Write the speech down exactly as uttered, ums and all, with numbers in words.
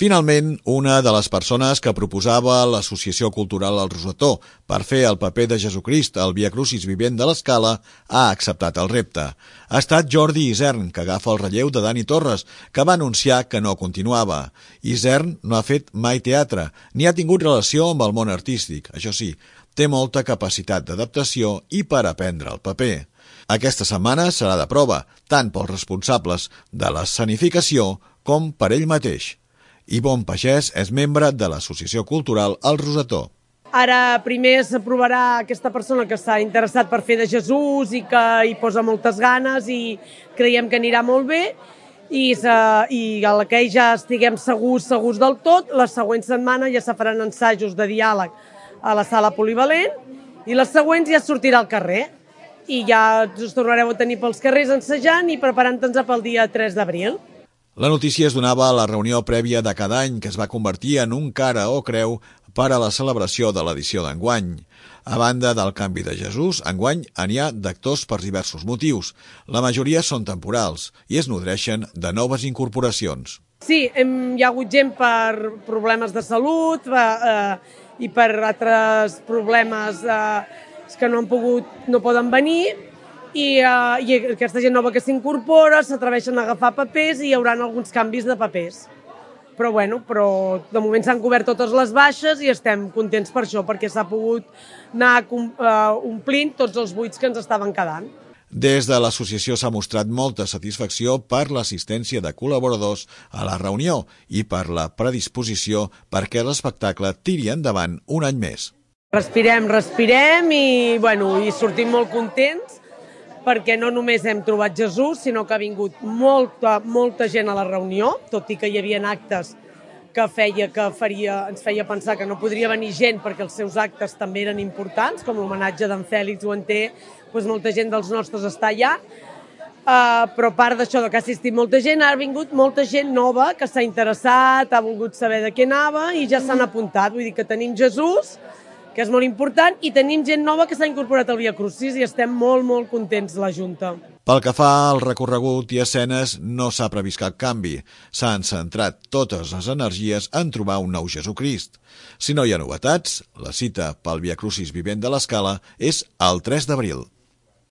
Finalment, una de les persones que proposava l'Associació Cultural El Rosetó per fer el paper de Jesucrist al Via Crucis vivent de l'Escala ha acceptat el repte. Ha estat Jordi Isern, que agafa el relleu de Dani Torres, que va anunciar que no continuava. Isern no ha fet mai teatre, ni ha tingut relació amb el món artístic. Això sí, té molta capacitat d'adaptació i per aprendre el paper. Aquesta setmana serà de prova, tant pels responsables de l'escenificació com per ell mateix. Ivonne Pagès és membre de l'Associació Cultural El Rosetó. Ara primer s'aprovarà aquesta persona que està interessat per fer de Jesús i que hi posa moltes ganes i creiem que anirà molt bé i, i a la que ja estiguem segurs, segurs del tot, la següent setmana ja se faran ensajos de diàleg a la sala polivalent i les següents ja sortirà al carrer i ja us tornareu a tenir pels carrers ensajant i preparant-nos pel dia tres d'abril. La notícia es donava a la reunió prèvia de cada any que es va convertir en un cara o creu per a la celebració de l'edició d'enguany. A banda del canvi de Jesús, enguany n'hi ha d'actors per diversos motius. La majoria són temporals i es nodreixen de noves incorporacions. Sí, hem, hi ha hagut gent per problemes de salut eh, i per altres problemes eh, que no han pogut, no poden venir. I, uh, i aquesta gent nova que s'incorpora s'atreveixen a agafar papers i hi haurà alguns canvis de papers. Però, bueno, però de moment s'han cobert totes les baixes i estem contents per això, perquè s'ha pogut anar uh, omplint tots els buits que ens estaven quedant. Des de l'associació s'ha mostrat molta satisfacció per l'assistència de col·laboradors a la reunió i per la predisposició perquè l'espectacle tiri endavant un any més. Respirem, respirem i, bueno, i sortim molt contents perquè no només hem trobat Jesús, sinó que ha vingut molta, molta gent a la reunió, tot i que hi havia actes que, feia, que faria, ens feia pensar que no podria venir gent perquè els seus actes també eren importants, com l'homenatge d'en Fèlix Guanter, doncs molta gent dels nostres està allà, uh, però a part d'això que ha assistit molta gent, ha vingut molta gent nova que s'ha interessat, ha volgut saber de què anava i ja s'han apuntat. Vull dir que tenim Jesús, que és molt important, i tenim gent nova que s'ha incorporat al Via Crucis i estem molt, molt contents, la Junta. Pel que fa al recorregut i escenes, no s'ha previst cap canvi. S'han centrat totes les energies en trobar un nou Jesucrist. Si no hi ha novetats, la cita pel Via Crucis vivent de l'Escala és el tres d'abril.